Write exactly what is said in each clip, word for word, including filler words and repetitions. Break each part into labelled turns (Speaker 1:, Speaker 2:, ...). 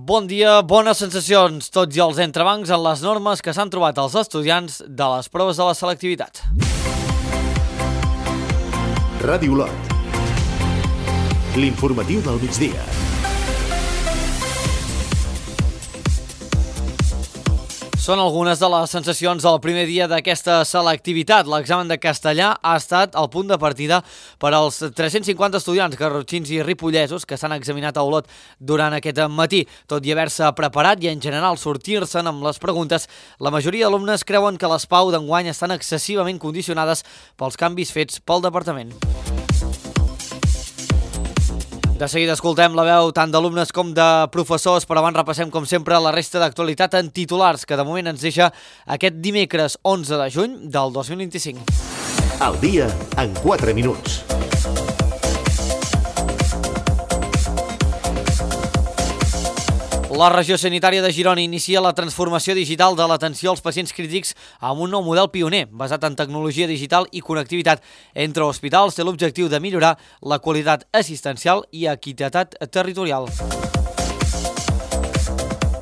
Speaker 1: Bon dia, bones sensacions, tots i els entrebancs en les normes que s'han trobat els estudiants de les proves de la selectivitat.
Speaker 2: Ràdio Olot. L'informatiu del migdia.
Speaker 1: Són algunes de les sensacions del primer dia d'aquesta selectivitat. L'examen de castellà ha estat el punt de partida per als tres-cents cinquanta estudiants garrotxins i ripollesos que s'han examinat a Olot durant aquest matí. Tot i haver-se preparat i en general sortir-se'n amb les preguntes, la majoria d'alumnes creuen que les PAU d'enguany estan excessivament condicionades pels canvis fets pel departament. De seguida escoltem la veu tant d'alumnes com de professors, però abans repassem com sempre la resta d'actualitat en titulars que de moment ens deixa aquest dimecres onze de juny del dos mil vint-i-cinc.
Speaker 2: El dia en quatre minuts.
Speaker 1: La regió sanitària de Girona inicia la transformació digital de l'atenció als pacients crítics amb un nou model pioner, basat en tecnologia digital i connectivitat entre hospitals. Té l'objectiu de millorar la qualitat assistencial i equitat territorial.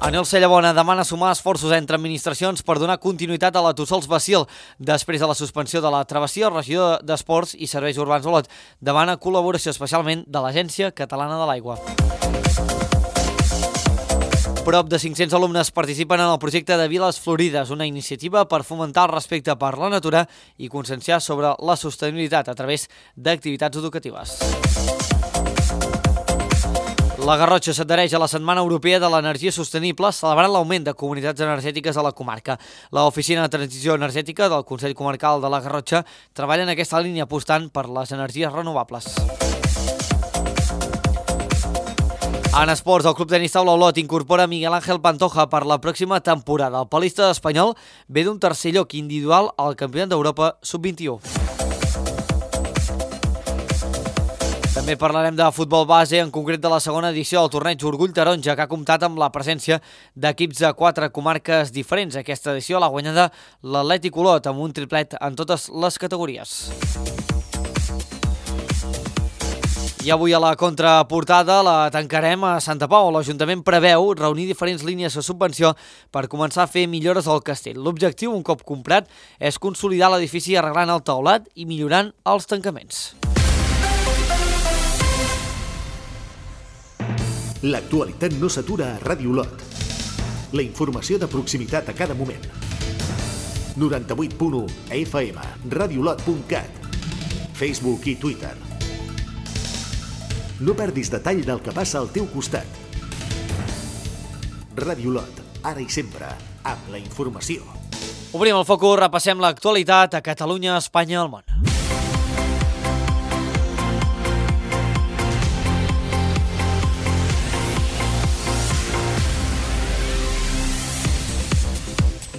Speaker 1: Anel Cellabona demana sumar esforços entre administracions per donar continuïtat a la Tossols Bacil. Després de la suspensió de la travessia, regió d'Esports i Serveis Urbans Olot demana col·laboració especialment de l'Agència Catalana de l'Aigua. Prop de cinc-cents alumnes participen en el projecte de Viles Florides, una iniciativa per fomentar el respecte per la natura i conscienciar sobre la sostenibilitat a través d'activitats educatives. La Garrotxa s'adhereix a la Setmana Europea de l'Energia Sostenible, celebrant l'augment de comunitats energètiques a la comarca. L'Oficina de Transició Energètica del Consell Comarcal de la Garrotxa treballa en aquesta línia apostant per les energies renovables. En esports, el Club Tenis Taula Olot incorpora Miguel Ángel Pantoja per la pròxima temporada. El palista espanyol ve d'un tercer lloc individual al Campionat d'Europa sub vint-i-u. També parlarem de futbol base, en concret de la segona edició del torneig Orgull Taronja, que ha comptat amb la presència d'equips de quatre comarques diferents. Aquesta edició l'ha guanyada l'Atlètic Olot amb un triplet en totes les categories. I avui a la contraportada la tancarem a Santa Pau. L'Ajuntament preveu reunir diferents línies de subvenció per començar a fer millores al castell. L'objectiu, un cop comprat, és consolidar l'edifici arreglant el teulat i millorant els tancaments.
Speaker 2: L'actualitat no s'atura a Ràdio Olot. La informació de proximitat a cada moment. noranta-vuit punt u F M, radiolot punt cat, Facebook i Twitter. No perdis detall del que passa al teu costat. Ràdio Olot, ara i sempre, amb la informació.
Speaker 1: Obrim el focus, repassem l'actualitat a Catalunya, Espanya i el món.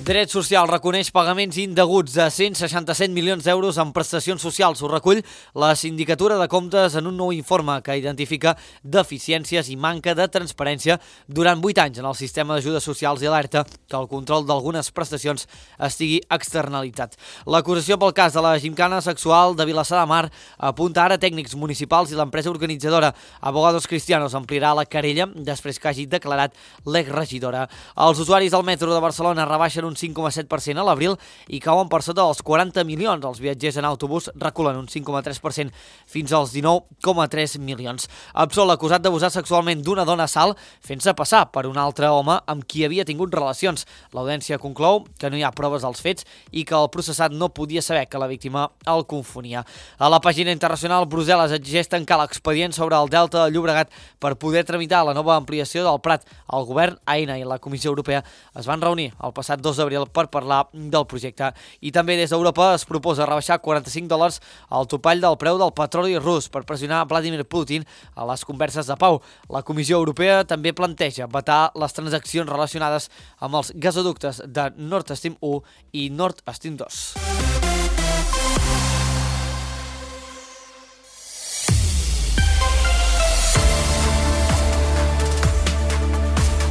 Speaker 1: Dret Social reconeix pagaments indeguts de cent seixanta-set milions d'euros en prestacions socials. Ho recull la Sindicatura de Comptes en un nou informe que identifica deficiències i manca de transparència durant vuit anys en el sistema d'ajudes socials i alerta que el control d'algunes prestacions estigui externalitzat. L'acusació pel cas de la gimcana sexual de Vilassar de Mar apunta ara tècnics municipals i l'empresa organitzadora Abogados Cristianos ampliarà la querella després que hagi declarat l'exregidora. Els usuaris del metro de Barcelona rebaixen un cinc coma set per cent a l'abril i cauen per sota dels quaranta milions. Els viatgers en autobús reculen un cinc coma tres per cent fins als dinou coma tres milions. Absol, acusat d'abusar sexualment d'una dona a Salt, fent-se passar per un altre home amb qui havia tingut relacions. L'audiència conclou que no hi ha proves dels fets i que el processat no podia saber que la víctima el confonia. A la pàgina internacional, Brussel·les exigeix tancar l'expedient sobre el Delta de Llobregat per poder tramitar la nova ampliació del Prat. El govern, Aena i la Comissió Europea es van reunir el passat dos d'abril per parlar del projecte. I també des d'Europa es proposa rebaixar quaranta-cinc dòlars al topall del preu del petroli rus per pressionar Vladimir Putin a les converses de pau. La Comissió Europea també planteja vetar les transaccions relacionades amb els gasoductes de Nord Stream u i Nord Stream dos.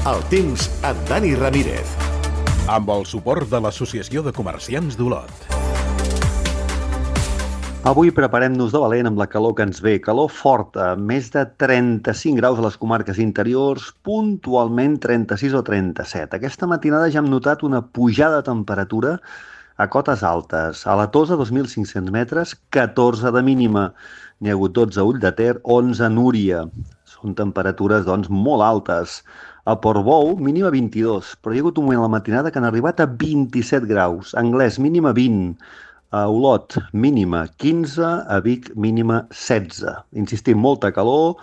Speaker 2: El temps amb Dani Ramírez.
Speaker 3: Amb el suport de l'Associació de Comerciants d'Olot. Avui preparem-nos de valent amb la calor que ens ve. Calor forta, més de trenta-cinc graus a les comarques interiors, puntualment trenta-sis o trenta-set. Aquesta matinada ja hem notat una pujada de temperatura a cotes altes. A la Tosa, dos mil cinc-cents metres, catorze de mínima. N'hi ha hagut dotze a Ull de Ter, onze a Núria. Són temperatures, doncs, molt altes. A Portbou, mínima vint-i-dos, però hi ha hagut un moment a la matinada que han arribat a vint-i-set graus. Anglès, mínima vint. A Olot, mínima quinze, a Vic, mínima setze. Insistim, molta calor,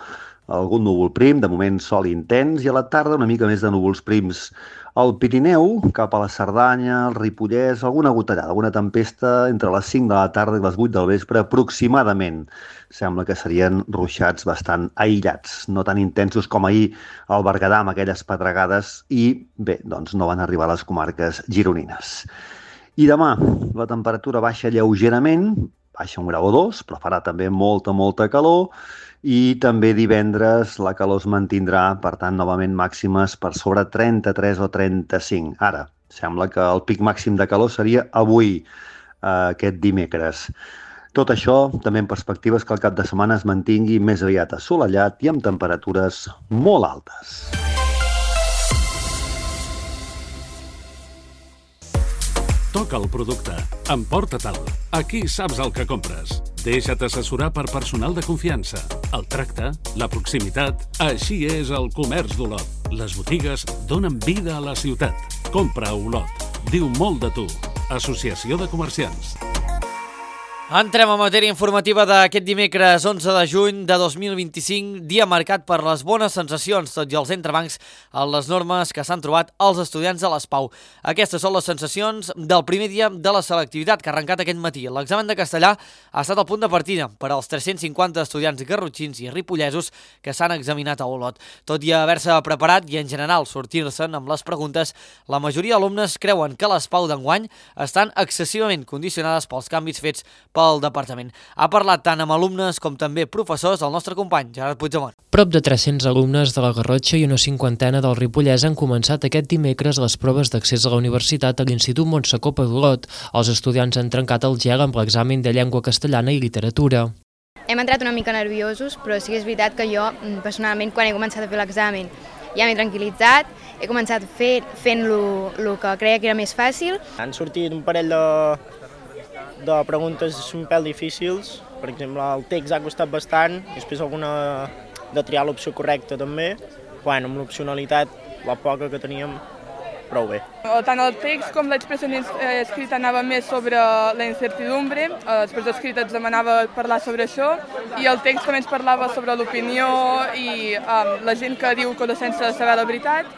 Speaker 3: algun núvol prim, de moment sol intens, i a la tarda una mica més de núvols prims. Al Pirineu, cap a la Cerdanya, el Ripollès, alguna gotellada, alguna tempesta entre les cinc de la tarda i les vuit del vespre aproximadament. Sembla que serien ruixats bastant aïllats, no tan intensos com ahir al Berguedà amb aquelles pedregades i, bé, doncs no van arribar a les comarques gironines. I demà la temperatura baixa lleugerament, baixa un grau o dos, però farà també molta, molta calor, i també divendres la calor es mantindrà, per tant, novament màximes per sobre trenta-tres o trenta-cinc. Ara, sembla que el pic màxim de calor seria avui, eh, aquest dimecres. Tot això també en perspectives que el cap de setmana es mantingui més aviat assolellat i amb temperatures molt altes.
Speaker 4: Toca el producte, emporta-te'l. Aquí saps el que compres. Deixa't assessorar per personal de confiança. El tracte, la proximitat, així és el comerç d'Olot. Les botigues donen vida a la ciutat. Compra a Olot. Diu molt de tu. Associació de Comerciants.
Speaker 1: Entrem a matèria informativa d'aquest dimecres onze de juny de dos mil vint-i-cinc, dia marcat per les bones sensacions, tot i els entrebancs en les normes que s'han trobat els estudiants de l'ESPAU. Aquestes són les sensacions del primer dia de la selectivitat que ha arrencat aquest matí. L'examen de castellà ha estat el punt de partida per als tres-cents cinquanta estudiants garrotxins i ripollesos que s'han examinat a Olot. Tot i haver-se preparat i en general sortir-se'n amb les preguntes, la majoria d'alumnes creuen que l'ESPAU d'enguany estan excessivament condicionades pels canvis fets per pel departament. Ha parlat tant amb alumnes com també professors el nostre company, Gerard Puigdemont.
Speaker 5: Prop de tres-cents alumnes de la Garrotxa i una cinquantena del Ripollès han començat aquest dimecres les proves d'accés a la universitat a l'Institut Montsecopa d'Olot. Els estudiants han trencat el gel amb l'examen de llengua castellana i literatura.
Speaker 6: Hem entrat una mica nerviosos, però sí que és veritat que jo, personalment, quan he començat a fer l'examen, ja m'he tranquil·litzat, he començat fer, fent el que creia que era més fàcil.
Speaker 7: Han sortit un parell de, de preguntes un pèl difícils, per exemple, el text ha costat bastant, després alguna de triar l'opció correcta també. Bueno, amb l'opcionalitat, la poca que teníem, prou bé.
Speaker 8: Tant el text com l'expressió escrita anava més sobre la incertidumbre, l'expressió escrita ens demanava parlar sobre això, i el text també ens parlava sobre l'opinió i um, la gent que diu coses sense saber la veritat,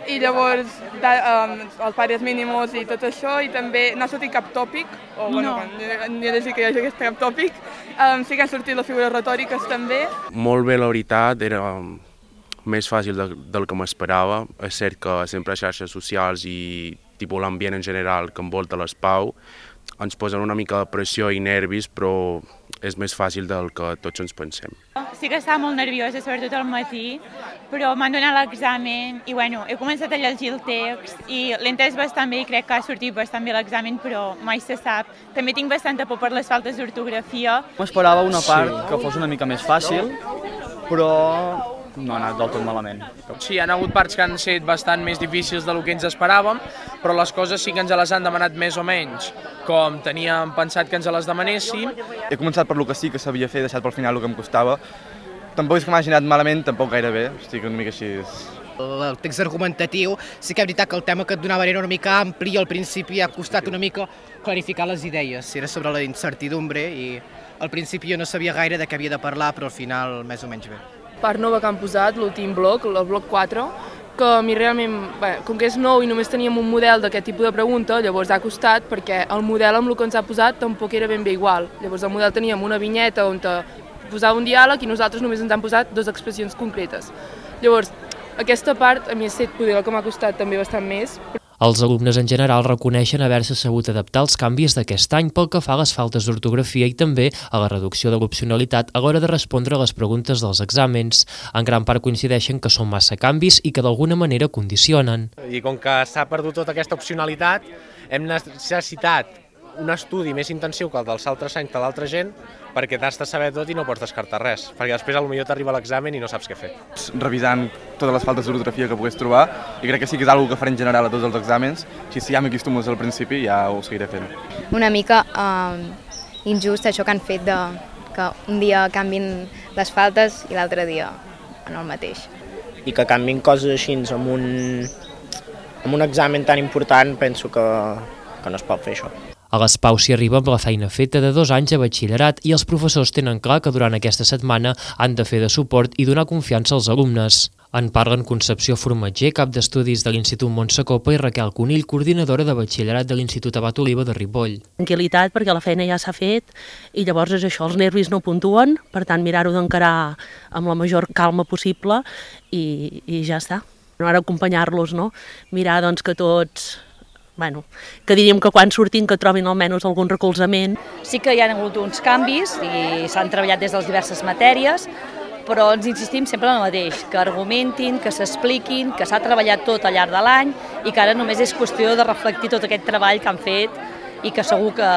Speaker 8: i llavors da, um, els pares mínimos i tot això, i també no ha sortit cap tòpic, o bueno, no. Ni he de dir que hi hagi cap tòpic, um, sí que han sortit les figures retòriques també.
Speaker 9: Molt bé, la veritat, era més fàcil de, del que m'esperava. És cert que sempre les xarxes socials i tipus l'ambient en general que envolta l'ESPAU ens posen una mica de pressió i nervis, però és més fàcil del que tots ens pensem.
Speaker 10: Sí que estava molt nerviosa, sobretot al matí, però m'han donat l'examen i bueno, he començat a llegir el text i l'he entès bastant bé i crec que ha sortit bastant bé l'examen, però mai se sap. També tinc bastanta por per les faltes d'ortografia.
Speaker 11: M'esperava una part sí. que fos una mica més fàcil, però no ha anat del tot malament.
Speaker 12: Sí, hi ha hagut parts que han estat bastant més difícils del que ens esperàvem, però les coses sí que ens les han demanat més o menys, com teníem pensat que ens les demanéssim.
Speaker 11: He començat per lo que sí que sabia fer, deixat pel final el que em costava. Tampoc és que m'hagi anat malament, tampoc gaire bé, estic una mica així.
Speaker 13: El text argumentatiu, sí que és veritat que el tema que et donava era una mica ampli i al principi ha costat una mica clarificar les idees. Era sobre la incertidumbre i al principi jo no sabia gaire de què havia de parlar, però al final més o menys bé.
Speaker 14: Part nova que han posat, l'últim bloc, el bloc quatre, que a mi realment, bé, com que és nou i només teníem un model d'aquest tipus de pregunta, llavors ha costat perquè el model amb el que ens ha posat tampoc era ben bé igual. Llavors el model teníem una vinyeta on posava un diàleg i nosaltres només ens han posat dues expressions concretes. Llavors, aquesta part a mi ha estat poder el que m'ha costat també bastant més.
Speaker 5: Els alumnes en general reconeixen haver-se sabut adaptar als canvis d'aquest any pel que fa a les faltes d'ortografia i també a la reducció de l'opcionalitat a l'hora de respondre a les preguntes dels exàmens. En gran part coincideixen que són massa canvis i que d'alguna manera condicionen.
Speaker 15: I com que s'ha perdut tota aquesta opcionalitat, hem necessitat un estudi més intensiu que el dels altres anys de l'altra gent, perquè t'has de saber tot i no pots descartar res, perquè després potser t'arriba l'examen i no saps què fer.
Speaker 11: Revisant totes les faltes d'ortografia que puguis trobar, i crec que sí que és una cosa que faré en general a tots els exàmens, si ja m'acostumo al principi ja ho seguiré fent.
Speaker 6: Una mica eh, injust això que han fet de que un dia canvin les faltes i l'altre dia en el mateix.
Speaker 7: I que canvin coses així amb un, amb un examen tan important, penso que, que no es pot fer això.
Speaker 5: A les Pau s'hi arriba amb la feina feta de dos anys de batxillerat i els professors tenen clar que durant aquesta setmana han de fer de suport i donar confiança als alumnes. En parlen Concepció Formatger, cap d'estudis de l'Institut Montsecopa, i Raquel Conill, coordinadora de batxillerat de l'Institut Abat Oliva de Ripoll.
Speaker 16: Tranquil·litat, perquè la feina ja s'ha fet i llavors és això, els nervis no puntuen, per tant mirar-ho d'encarar amb la major calma possible i, i ja està. Ara acompanyar-los, no? Mirar doncs, que tots... Bueno, que diríem que quan surtin que trobin almenys algun recolzament.
Speaker 17: Sí que hi ha hagut uns canvis i s'han treballat des de les diverses matèries, però ens insistim sempre en el mateix, que argumentin, que s'expliquin, que s'ha treballat tot al llarg de l'any i que ara només és qüestió de reflectir tot aquest treball que han fet i que segur que,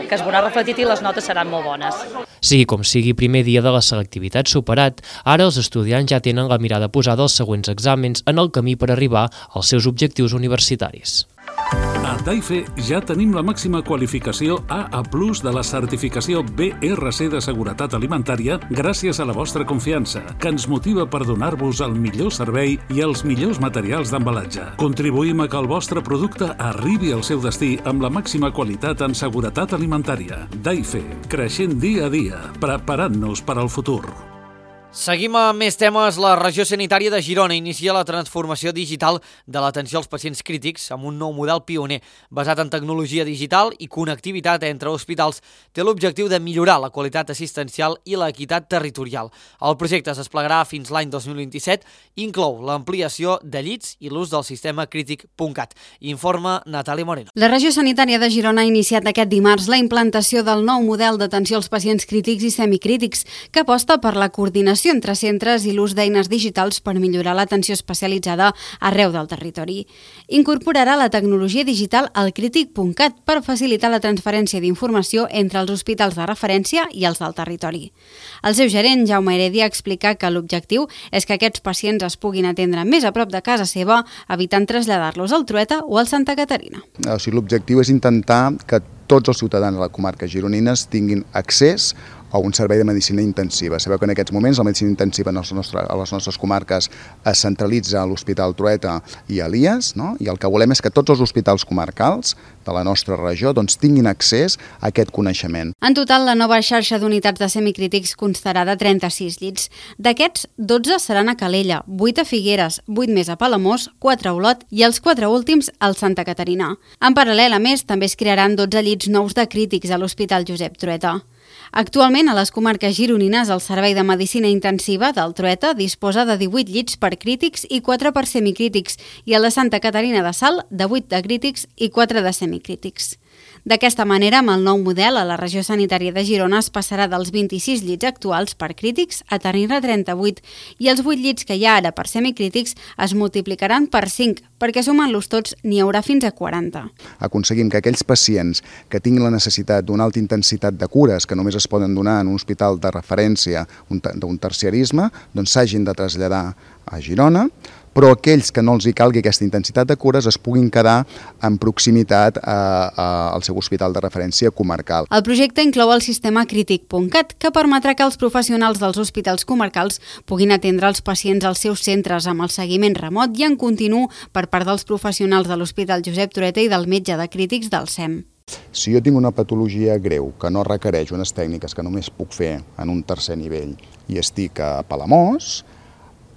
Speaker 17: que es veurà reflectit i les notes seran molt bones.
Speaker 5: Sigui com sigui, primer dia de la selectivitat superat, ara els estudiants ja tenen la mirada posada als següents exàmens en el camí per arribar als seus objectius universitaris.
Speaker 4: A Daife ja tenim la màxima qualificació A A plus de la certificació B R C de Seguretat Alimentària gràcies a la vostra confiança, que ens motiva per donar-vos el millor servei i els millors materials d'embalatge. Contribuïm a que el vostre producte arribi al seu destí amb la màxima qualitat en seguretat alimentària. Daife, creixent dia a dia, preparant-nos per al futur.
Speaker 1: Seguim amb més temes. La regió sanitària de Girona inicia la transformació digital de l'atenció als pacients crítics amb un nou model pioner. Basat en tecnologia digital i connectivitat entre hospitals, té l'objectiu de millorar la qualitat assistencial i l'equitat territorial. El projecte es desplegarà fins l'any dos mil vint-i-set i inclou l'ampliació de llits i l'ús del sistema crític punt cat. Informa Natàlia Moreno.
Speaker 18: La regió sanitària de Girona ha iniciat aquest dimarts la implantació del nou model d'atenció als pacients crítics i semicrítics, que aposta per la coordinació entre centres i l'ús d'eines digitals per millorar l'atenció especialitzada arreu del territori. Incorporarà la tecnologia digital al crític punt cat per facilitar la transferència d'informació entre els hospitals de referència i els del territori. El seu gerent, Jaume Heredia, explica que l'objectiu és que aquests pacients es puguin atendre més a prop de casa seva, evitant traslladar-los al Trueta o al Santa Caterina.
Speaker 19: O sigui, l'objectiu és intentar que tots els ciutadans de la comarca gironines tinguin accés a un servei de medicina intensiva. Sabeu que en aquests moments la medicina intensiva a les nostres, a les nostres comarques es centralitza a l'Hospital Trueta i a l'I A S, no? I el que volem és que tots els hospitals comarcals de la nostra regió doncs, tinguin accés a aquest coneixement.
Speaker 18: En total, la nova xarxa d'unitats de semicrítics constarà de trenta-sis llits. D'aquests, dotze seran a Calella, vuit a Figueres, vuit més a Palamós, quatre a Olot i els quatre últims al Santa Caterina. En paral·lel, a més, també es crearan dotze llits nous de crítics a l'Hospital Josep Trueta. Actualment, a les comarques gironines, el Servei de Medicina Intensiva del Trueta disposa de divuit llits per crítics i quatre per semicrítics i a la Santa Caterina de Salt de vuit de crítics i quatre de semicrítics. D'aquesta manera, amb el nou model, a la regió sanitària de Girona es passarà dels vint-i-sis llits actuals per crítics a tenir-ne trenta-vuit i els vuit llits que hi ha ara per semicrítics es multiplicaran per cinc, perquè sumant-los tots n'hi haurà fins a quaranta.
Speaker 19: Aconseguim que aquells pacients que tinguin la necessitat d'una alta intensitat de cures que només es poden donar en un hospital de referència d'un terciarisme, doncs s'hagin de traslladar a Girona, però aquells que no els hi calgui aquesta intensitat de cures es puguin quedar en proximitat a, a, al seu hospital de referència comarcal.
Speaker 18: El projecte inclou el sistema crític punt cat, que permetrà que els professionals dels hospitals comarcals puguin atendre els pacients als seus centres amb el seguiment remot i en continu per part dels professionals de l'Hospital Josep Trueta i del metge de crítics del S E M.
Speaker 19: Si jo tinc una patologia greu que no requereix unes tècniques que només puc fer en un tercer nivell i estic a Palamós,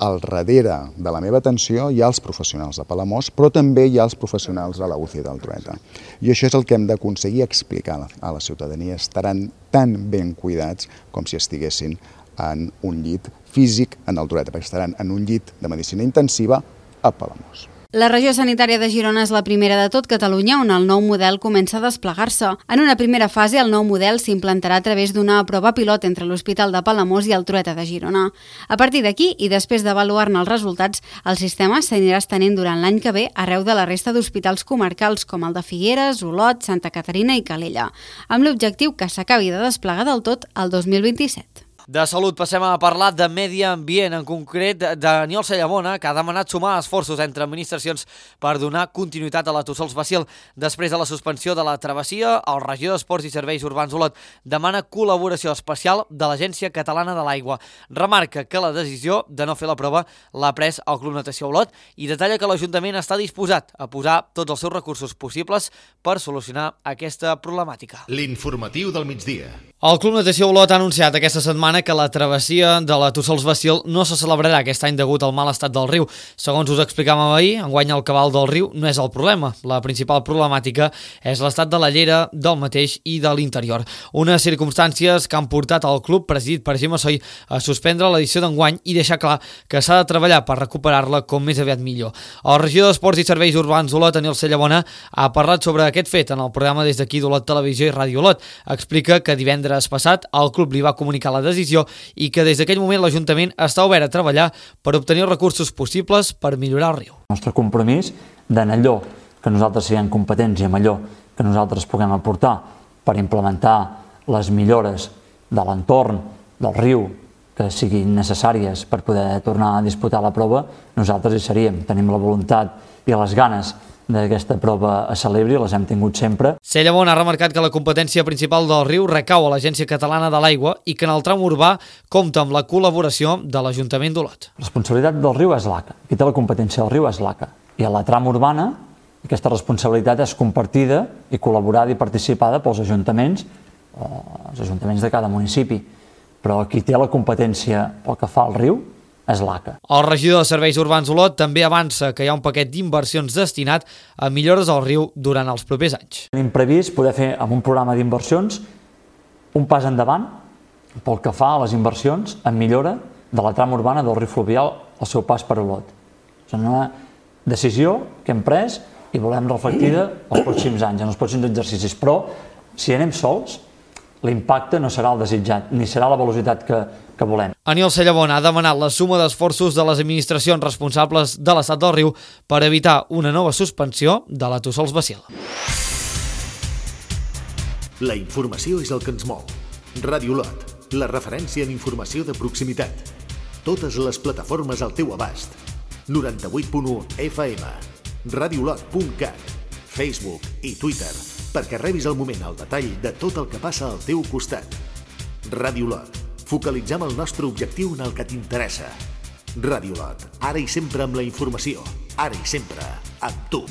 Speaker 19: al darrere de la meva atenció hi ha els professionals de Palamós, però també hi ha els professionals de la U C I del Trueta. I això és el que hem d'aconseguir explicar a la ciutadania. Estaran tan ben cuidats com si estiguessin en un llit físic en el Trueta, perquè estaran en un llit de medicina intensiva a Palamós.
Speaker 18: La regió sanitària de Girona és la primera de tot Catalunya on el nou model comença a desplegar-se. En una primera fase, el nou model s'implantarà a través d'una prova pilot entre l'Hospital de Palamós i el Trueta de Girona. A partir d'aquí, i després d'avaluar-ne els resultats, el sistema s'anirà estenent durant l'any que ve arreu de la resta d'hospitals comarcals com el de Figueres, Olot, Santa Caterina i Calella, amb l'objectiu que s'acabi de desplegar del tot el dos mil vint-i-set.
Speaker 1: De salut passem a parlar de medi ambient, en concret d'Aniol Sallamona, que ha demanat sumar esforços entre administracions per donar continuïtat a la Tossols-Basil. Després de la suspensió de la travessia, el regidor d'Esports i Serveis Urbans Olot demana col·laboració especial de l'Agència Catalana de l'Aigua. Remarca que la decisió de no fer la prova l'ha pres el Club Natació Olot i detalla que l'Ajuntament està disposat a posar tots els seus recursos possibles per solucionar aquesta problemàtica.
Speaker 2: L'informatiu del migdia.
Speaker 1: El Club Natació Olot ha anunciat aquesta setmana que la travessia de la Tossols-Basil no se celebrarà aquest any degut al mal estat del riu. Segons us explicàvem ahir, enguany el cabal del riu no és el problema. La principal problemàtica és l'estat de la llera, del mateix i de l'interior. Unes circumstàncies que han portat el club, presidit per Gemma Soy, a suspendre l'edició d'enguany i deixar clar que s'ha de treballar per recuperar-la com més aviat millor. El regidor d'Esports i Serveis Urbans Olot, Aniol Sallamona, ha parlat sobre aquest fet en el programa Des d'aquí d'Olot Televisió i Ràdio Olot. Explica que divendres passat el club li va comunicar la decisió i que des d'aquell moment l'Ajuntament està obert a treballar per obtenir els recursos possibles per millorar el riu.
Speaker 20: El nostre compromís d'en allò que nosaltres siguem competents i en allò que nosaltres puguem aportar per implementar les millores de l'entorn del riu que siguin necessàries per poder tornar a disputar la prova, nosaltres hi seríem. Tenim la voluntat i les ganes d'aquesta prova a celebri, les hem tingut sempre.
Speaker 1: Sallamona ha remarcat que la competència principal del riu recau a l'Agència Catalana de l'Aigua i que en el tram urbà compta amb la col·laboració de l'Ajuntament d'Olot.
Speaker 20: La responsabilitat del riu és l'A C A. Qui té la competència del riu és l'A C A. I a la tram urbana aquesta responsabilitat és compartida i col·laborada i participada pels ajuntaments, els ajuntaments de cada municipi. Però qui té la competència pel que fa al riu és l'A C A.
Speaker 1: El regidor de Serveis Urbans Olot també avança que hi ha un paquet d'inversions destinat a millores al riu durant els propers anys.
Speaker 20: Tenim previst poder fer amb un programa d'inversions un pas endavant pel que fa a les inversions en millora de la trama urbana del riu fluvial al seu pas per Olot. És una decisió que hem pres i volem reflectida els pròxims anys, en els pròxims exercicis. Però si anem sols, l'impacte no serà el desitjat, ni serà la velocitat que, que volem.
Speaker 1: Aniol Sallamona ha demanat la suma d'esforços de les administracions responsables de l'estat del riu per evitar una nova suspensió de la Tossols-Basil.
Speaker 2: La informació és el que ens mou. Ràdio Olot, la referència en informació de proximitat. Totes les plataformes al teu abast. noranta-vuit punt u F M, radiolot punt cat, Facebook i Twitter, perquè rebis al moment el detall de tot el que passa al teu costat. Ràdio Olot. Focalitzem el nostre objectiu en el que t'interessa. Ràdio Olot. Ara i sempre amb la informació. Ara i sempre amb tu.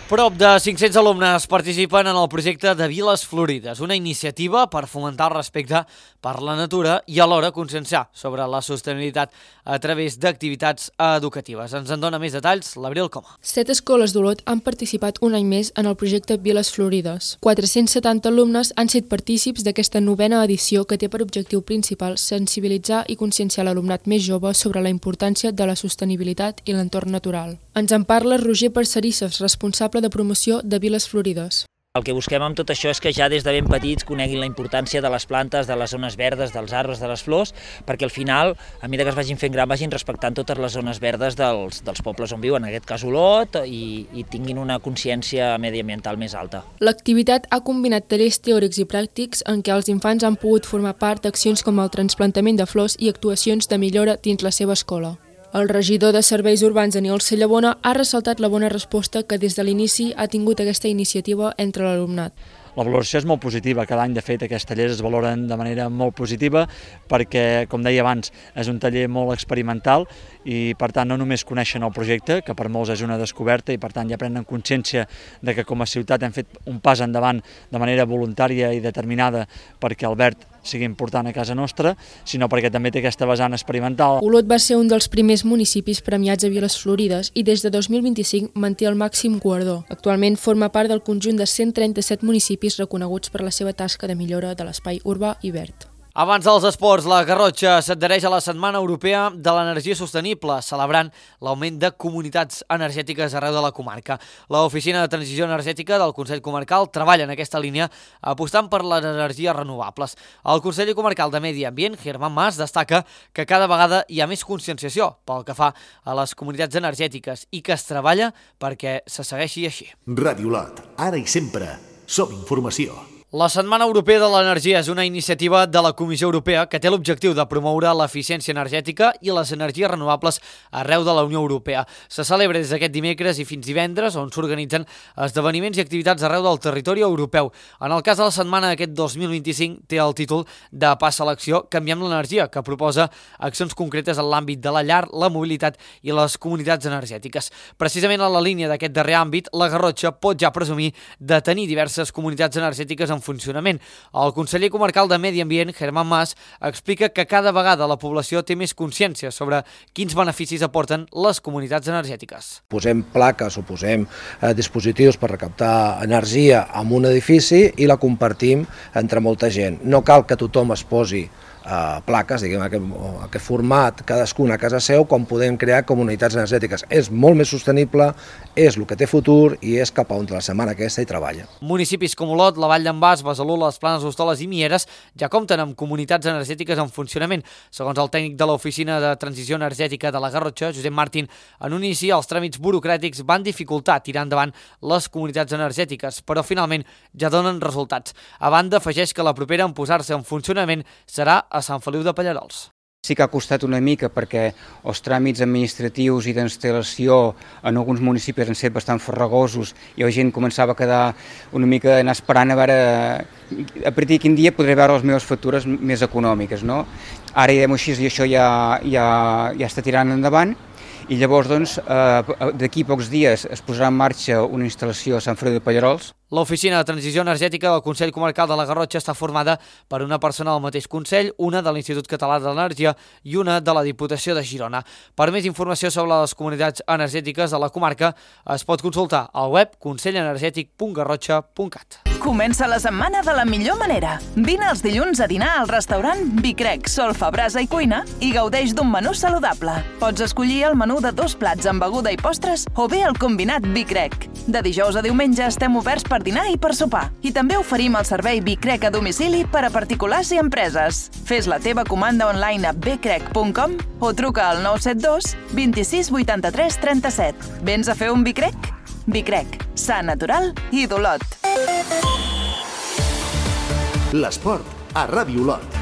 Speaker 1: Prop de cinc-cents alumnes participen en el projecte de Viles Florides, una iniciativa per fomentar el respecte per la natura i alhora conscienciar sobre la sostenibilitat a través d'activitats educatives. Ens en dona més detalls l'Abril Coma.
Speaker 21: Set escoles d'Olot han participat un any més en el projecte Viles Florides. quatre-cents setanta alumnes han set partícips d'aquesta novena edició que té per objectiu principal sensibilitzar i conscienciar l'alumnat més jove sobre la importància de la sostenibilitat i l'entorn natural. Ens en parla Roger Parcerisses, responsable de promoció de Viles Florides.
Speaker 22: El que busquem amb tot això és que ja des de ben petits coneguin la importància de les plantes, de les zones verdes, dels arbres, de les flors, perquè al final, a mesura que es vagin fent gran, vagin respectant totes les zones verdes dels, dels pobles on viuen, en aquest cas Olot, i, i tinguin una consciència mediambiental més alta.
Speaker 21: L'activitat ha combinat tallers teòrics i pràctics en què els infants han pogut formar part d'accions com el trasplantament de flors i actuacions de millora dins la seva escola. El regidor de Serveis Urbans, Aniol Sallamona, ha ressaltat la bona resposta que des de l'inici ha tingut aquesta iniciativa entre l'alumnat.
Speaker 20: La valoració és molt positiva. Cada any, de fet, aquests tallers es valoren de manera molt positiva perquè, com deia abans, és un taller molt experimental i, per tant, no només coneixen el projecte, que per molts és una descoberta i, per tant, ja prenen consciència de que com a ciutat hem fet un pas endavant de manera voluntària i determinada perquè el verd sigui important a casa nostra, sinó perquè també té aquesta vessant experimental.
Speaker 21: Olot va ser un dels primers municipis premiats a Viles Florides i des de dos mil vint-i-cinc manté el màxim guardó. Actualment forma part del conjunt de cent trenta-set municipis reconeguts per la seva tasca de millora de l'espai urbà i verd.
Speaker 1: Abans dels esports, la Garrotxa s'adhereix a la Setmana Europea de l'Energia Sostenible, celebrant l'augment de comunitats energètiques arreu de la comarca. L'Oficina de Transició Energètica del Consell Comarcal treballa en aquesta línia apostant per les energies renovables. El conseller comarcal de Medi Ambient, Germán Mas, destaca que cada vegada hi ha més conscienciació pel que fa a les comunitats energètiques i que es treballa perquè se segueixi així.
Speaker 2: Ràdio Lot, ara i sempre, som informació.
Speaker 1: La Setmana Europea de l'Energia és una iniciativa de la Comissió Europea que té l'objectiu de promoure l'eficiència energètica i les energies renovables arreu de la Unió Europea. Se celebra des d'aquest dimecres i fins divendres, on s'organitzen esdeveniments i activitats arreu del territori europeu. En el cas de la setmana aquest dos mil vint-i-cinc té el títol de Passa a l'acció Canviem l'energia, que proposa accions concretes en l'àmbit de la llar, la mobilitat i les comunitats energètiques. Precisament a la línia d'aquest darrer àmbit, la Garrotxa pot ja presumir de tenir diverses comunitats energètiques en funcionament. El conseller comarcal de Medi Ambient, Germán Mas, explica que cada vegada la població té més consciència sobre quins beneficis aporten les comunitats energètiques.
Speaker 3: Posem plaques o posem eh, dispositius per recaptar energia en un edifici i la compartim entre molta gent. No cal que tothom es posi Uh, plaques, diguem, aquest, aquest format, cadascuna a casa seu, com podem crear comunitats energètiques. És molt més sostenible, és el que té futur i és cap a on la setmana aquesta hi treballa.
Speaker 1: Municipis com Olot, la Vall d'en Bas, Besalú, les Planes d'Hostoles i Mieres ja compten amb comunitats energètiques en funcionament. Segons el tècnic de l'Oficina de Transició Energètica de la Garrotxa, Josep Martín, en un inici els tràmits burocràtics van dificultar tirar endavant les comunitats energètiques, però finalment ja donen resultats. A banda, afegeix que la propera en posar-se en funcionament serà a Sant Feliu de Pallerols.
Speaker 8: Sí que ha costat una mica perquè els tràmits administratius i d'instal·lació en alguns municipis han estat bastant farragosos i la gent començava a quedar una mica anar esperant a veure a partir de quin dia podré veure les meves factures més econòmiques, no? Ara ja així i això ja, ja, ja està tirant endavant. I llavors, doncs, eh, d'aquí pocs dies es posarà en marxa una instal·lació a Sant Feliu de Pallerols.
Speaker 1: L'Oficina de Transició Energètica del Consell Comarcal de la Garrotxa està formada per una persona del mateix Consell, una de l'Institut Català de l'Energia i una de la Diputació de Girona. Per més informació sobre les comunitats energètiques de la comarca es pot consultar al web consell energètic punt garrotxa punt cat.
Speaker 23: Comença la setmana de la millor manera. Vine els dilluns a dinar al restaurant Bicrec, Solfa, Brasa i Cuina i gaudeix d'un menú saludable. Pots escollir el menú de dos plats amb beguda i postres o bé el combinat Bicrec. De dijous a diumenge estem oberts per dinar i per sopar. I també oferim el servei Bicrec a domicili per a particulars i empreses. Fes la teva comanda online a bcrec punt com o truca al nou set dos vint sis vuitanta-tres trenta-set. Vens a fer un Bicrec? Bicrec, sa, natural i d'Olot.
Speaker 2: L'esport a Ràdio Lot.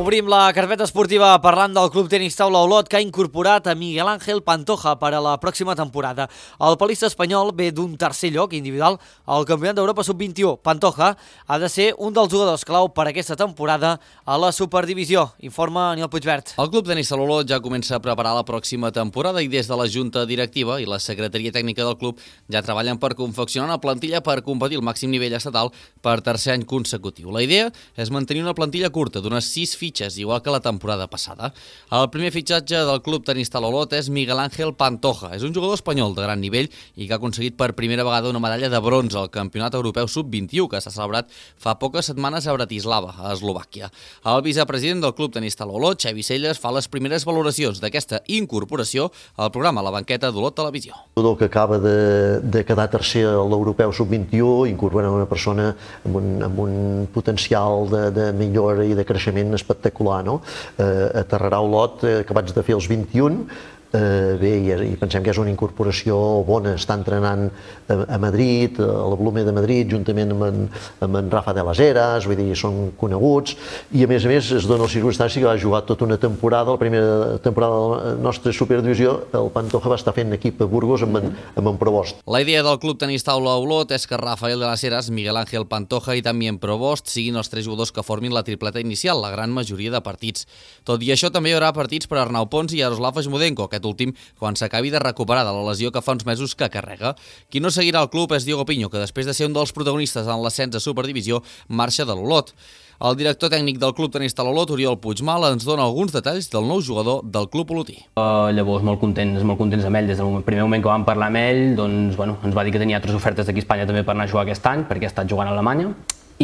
Speaker 1: Obrim la carpeta esportiva parlant del Club Tenis Taula Olot, que ha incorporat a Miguel Ángel Pantoja per a la pròxima temporada. El palista espanyol ve d'un tercer lloc individual al Campionat d'Europa sub vint-i-u. Pantoja ha de ser un dels jugadors clau per aquesta temporada a la Superdivisió, informa Aniol Puigvert.
Speaker 24: El Club Tenis Taula Olot ja comença a preparar la pròxima temporada i des de la Junta Directiva i la Secretaria Tècnica del club ja treballen per confeccionar una plantilla per competir al màxim nivell estatal per tercer any consecutiu. La idea és mantenir una plantilla curta d'unes sis fitxes, igual que la temporada passada. El primer fitxatge del Club Tenis Taula Olot és Miguel Ángel Pantoja. És un jugador espanyol de gran nivell i que ha aconseguit per primera vegada una medalla de bronze al Campionat Europeu sub vint-i-u, que s'ha celebrat fa poques setmanes a Bratislava, a Eslovàquia. El vicepresident del Club Tenis Taula Olot, Xavi Celles, fa les primeres valoracions d'aquesta incorporació al programa La Banqueta d'Olot Televisió.
Speaker 25: Un jugador que acaba de, de quedar tercer a l'Europeu sub vint-i-u, incorporant una persona amb un, amb un potencial de, de millora i de creixement espectacular, no? Eh, aterrarà a Olot, eh, acabats de fer els vint-i-un, eh, bé, i, i pensem que és una incorporació bona. Està entrenant a, a Madrid, a la Blume de Madrid, juntament amb en, amb en Rafa de las Heras, vull dir, són coneguts, i a més a més es dona la circumstància que va jugar tota una temporada, la primera temporada de la nostra Superdivisió, el Pantoja va estar fent equip a Burgos amb en, amb en Provost.
Speaker 24: La idea del Club Tenis Taula Olot és que Rafael de las Heras, Miguel Ángel Pantoja i també en Provost siguin els tres jugadors que formin la tripleta inicial, la gran majoria de partits. Tot i això, també hi haurà partits per Arnau Pons i Yaroslav Asmudenko, aquest últim quan s'acabi de recuperar de la lesió que fa uns mesos que carrega. Qui no seguirà el club és Diogo Piño, que després de ser un dels protagonistes en l'ascens a Superdivisió, marxa de l'Olot. El director tècnic del Club Tenis Taula Olot, Oriol Puigmal, ens dona alguns detalls del nou jugador del Club Olotí.
Speaker 9: Uh, llavors, molt contents, molt contents amb ell. Des del primer moment que vam parlar amb ell, doncs, bueno, ens va dir que tenia altres ofertes d'aquí a Espanya també per anar a jugar aquest any, perquè ha estat jugant a Alemanya,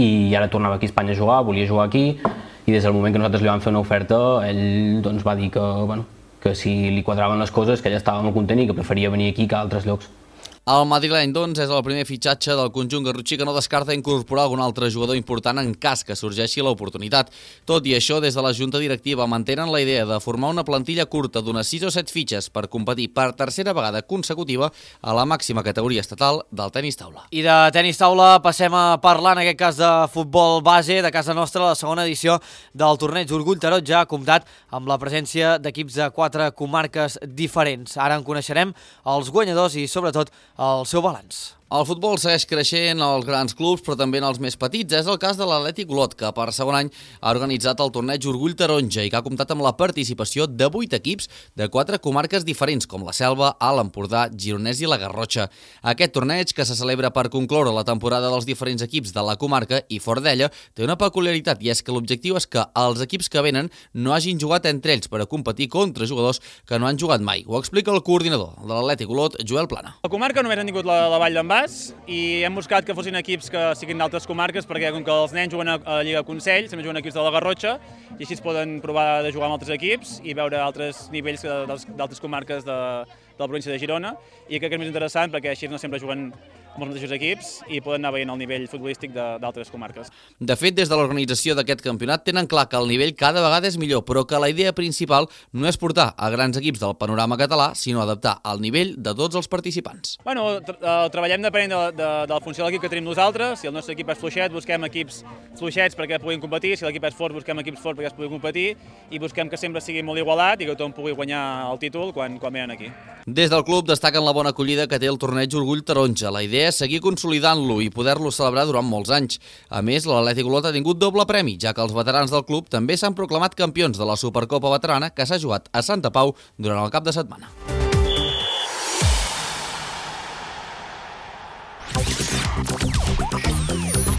Speaker 9: i ara tornava aquí a Espanya a jugar, volia jugar aquí, i des del moment que nosaltres li vam fer una oferta, ell doncs, va dir que, bueno, que si li quadraven les coses, que ell estava molt content i que preferia venir aquí que a altres llocs.
Speaker 24: El madrileny, doncs, és el primer fitxatge del conjunt garrotxí que no descarta incorporar algun altre jugador important en cas que sorgeixi l'oportunitat. Tot i això, des de la Junta Directiva mantenen la idea de formar una plantilla curta d'unes sis o set fitxes per competir per tercera vegada consecutiva a la màxima categoria estatal del tenis taula.
Speaker 1: I de tenis taula passem a parlar, en aquest cas, de futbol base de casa nostra. La segona edició del torneig Orgull Taroja ja ha comptat amb la presència d'equips de quatre comarques diferents. Ara en coneixerem els guanyadors i, sobretot, el seu balanç.
Speaker 24: El futbol segueix creixent als grans clubs, però també en els més petits. És el cas de l'Atlètic Olot, que per segon any ha organitzat el torneig Orgull Taronja i que ha comptat amb la participació de vuit equips de quatre comarques diferents, com la Selva, Alt Empordà, Gironès i la Garrotxa. Aquest torneig, que se celebra per concloure la temporada dels diferents equips de la comarca i fora d'ella, té una peculiaritat, i és que l'objectiu és que els equips que venen no hagin jugat entre ells per a competir contra jugadors que no han jugat mai. Ho explica el coordinador de l'Atlètic Olot, Joel Plana.
Speaker 10: La comarca només han tingut la, la Vall d'en Bas i hem buscat que fossin equips que siguin d'altres comarques, perquè com que els nens juguen a la Lliga Consell, també juguen equips de la Garrotxa, i així es poden provar de jugar amb altres equips i veure altres nivells d'altres comarques de, de la província de Girona, i crec que és més interessant perquè així no sempre juguen amb els mateixos equips i poden anar veient el nivell futbolístic d'altres comarques.
Speaker 24: De fet, des de l'organització d'aquest campionat tenen clar que el nivell cada vegada és millor, però que la idea principal no és portar a grans equips del panorama català, sinó adaptar el nivell de tots els participants.
Speaker 10: Bueno, tra treballem depenent de, de, de la funció de l'equip que tenim nosaltres. Si el nostre equip és fluixet, busquem equips fluixets perquè puguin competir, si l'equip és fort, busquem equips forts perquè es puguin competir, i busquem que sempre sigui molt igualat i que tothom pugui guanyar el títol quan, quan venen aquí.
Speaker 24: Des del club destaquen la bona acollida que té el torneig Orgull Taronja. La idea és seguir consolidant-lo i poder-lo celebrar durant molts anys. A més, l'Atlètic Olot ha tingut doble premi, ja que els veterans del club també s'han proclamat campions de la Supercopa Veterana que s'ha jugat a Santa Pau durant el cap de setmana.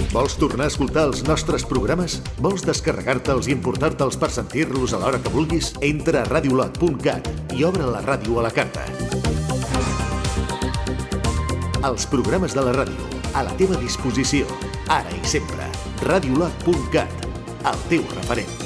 Speaker 2: Vols tornar a escoltar els nostres programes? Vols descarregar-te'ls i importar-te'ls per sentir-los a l'hora que vulguis? Entra a radiolot punt cat i obre la ràdio a la carta. Els programes de la ràdio, a la teva disposició, ara i sempre. radiolot punt cat, el teu referent.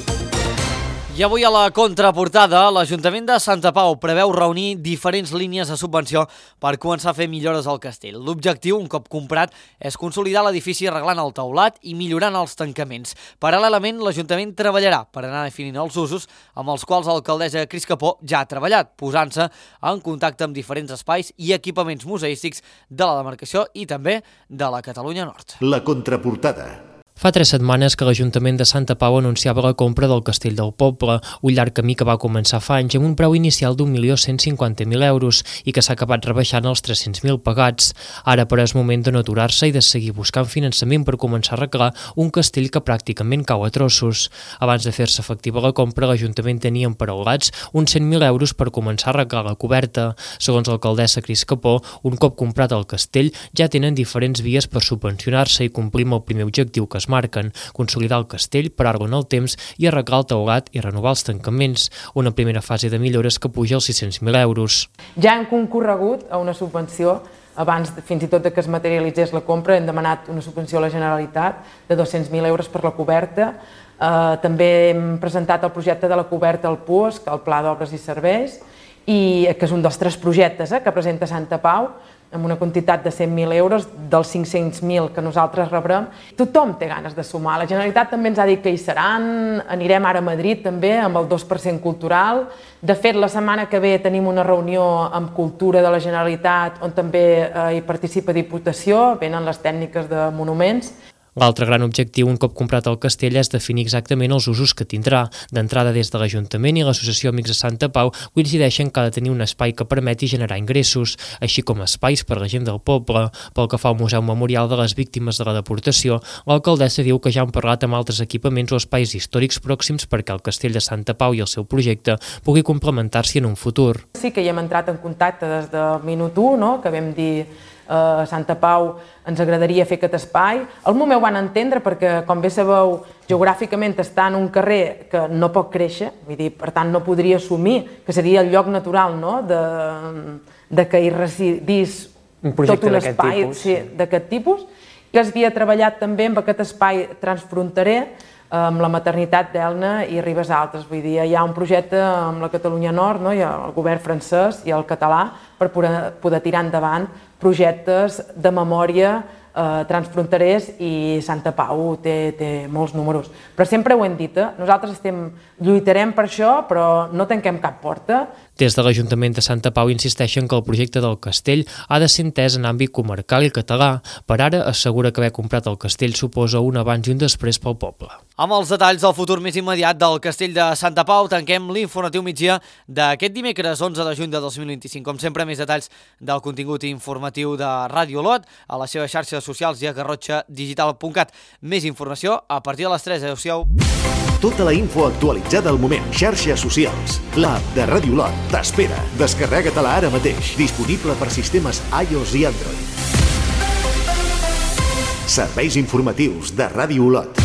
Speaker 1: I avui a la contraportada, l'Ajuntament de Santa Pau preveu reunir diferents línies de subvenció per començar a fer millores al castell. L'objectiu, un cop comprat, és consolidar l'edifici arreglant el teulat i millorant els tancaments. Paral·lelament, l'Ajuntament treballarà per anar definint els usos amb els quals l'alcaldessa Cris Capó ja ha treballat, posant-se en contacte amb diferents espais i equipaments museístics de la demarcació i també de la Catalunya Nord.
Speaker 2: La contraportada.
Speaker 5: Fa tres setmanes que l'Ajuntament de Santa Pau anunciava la compra del Castell del Poble, un llarg camí que va començar fa anys amb un preu inicial d'un milió cent cinquanta mil euros i que s'ha acabat rebaixant als tres-cents mil pagats. Ara, però, és moment de no aturar-se i de seguir buscant finançament per començar a arreglar un castell que pràcticament cau a trossos. Abans de fer-se efectiva la compra, l'Ajuntament tenia emparaulats uns cent mil euros per començar a arreglar la coberta. Segons l'alcaldessa Cris Capó, un cop comprat el castell, ja tenen diferents vies per subvencionar-se i complir amb el primer objectiu que es marquen, consolidar el castell, parar-lo en el temps i arreglar el teulat i renovar els tancaments, una primera fase de millores que puja als sis-cents mil euros.
Speaker 12: Ja hem concorregut a una subvenció, abans fins i tot que es materialitzés la compra, hem demanat una subvenció a la Generalitat de dos-cents mil euros per la coberta. Eh, també hem presentat el projecte de la coberta al P U S, el Pla d'Obres i Serveis, i que és un dels tres projectes eh, que presenta Santa Pau, amb una quantitat de cent mil euros, dels cinc-cents mil que nosaltres rebrem. Tothom té ganes de sumar. La Generalitat també ens ha dit que hi seran, anirem ara a Madrid també amb el dos per cent cultural. De fet, la setmana que ve tenim una reunió amb Cultura de la Generalitat on també eh, hi participa Diputació, venen les tècniques de monuments.
Speaker 5: L'altre gran objectiu, un cop comprat el castell, és definir exactament els usos que tindrà. D'entrada, des de l'Ajuntament i l'Associació Amics de Santa Pau coincideixen que ha de tenir un espai que permeti generar ingressos, així com espais per a la gent del poble. Pel que fa al Museu Memorial de les Víctimes de la Deportació, l'alcaldessa diu que ja han parlat amb altres equipaments o espais històrics pròxims perquè el castell de Santa Pau i el seu projecte pugui complementar-s'hi en un futur.
Speaker 12: Sí que hi hem entrat en contacte des del minut u, no? Que vam dir a Santa Pau ens agradaria fer aquest espai. El Momeu van entendre perquè, com bé sabeu, geogràficament està en un carrer que no pot créixer, vull dir, per tant no podria assumir que seria el lloc natural, no?, de, de que hi residís
Speaker 6: un
Speaker 12: tot un espai sí, d'aquest tipus, que es havia treballat també amb aquest espai transfronterer amb la maternitat d'Elna i Ribes Altes. Vull dir, hi ha un projecte amb la Catalunya Nord, no? Hi ha el govern francès i el català per poder, poder tirar endavant projectes de memòria eh, transfronterers i Santa Pau té, té molts números. Però sempre ho hem dit, eh? Nosaltres estem, lluitarem per això, però no tanquem cap porta.
Speaker 5: Des de l'Ajuntament de Santa Pau insisteixen que el projecte del castell ha de ser entès en àmbit comarcal i català. Per ara assegura que haver comprat el castell suposa un abans i un després pel poble.
Speaker 1: Amb els detalls del futur més immediat del castell de Santa Pau, tanquem l'informatiu migdia d'aquest dimecres onze de juny de dos mil vint-i-cinc. Com sempre, més detalls del contingut informatiu de Ràdio Olot a les seves xarxes socials i a garrotxa digital punt cat. Més informació a partir de les tres. Adéu-siau.
Speaker 2: Tota la info actualitzada al moment. Xarxes socials. L'app de Ràdio Olot t'espera. Descarrega-te-la ara mateix. Disponible per sistemes iOS i Android. Serveis informatius de Ràdio Olot.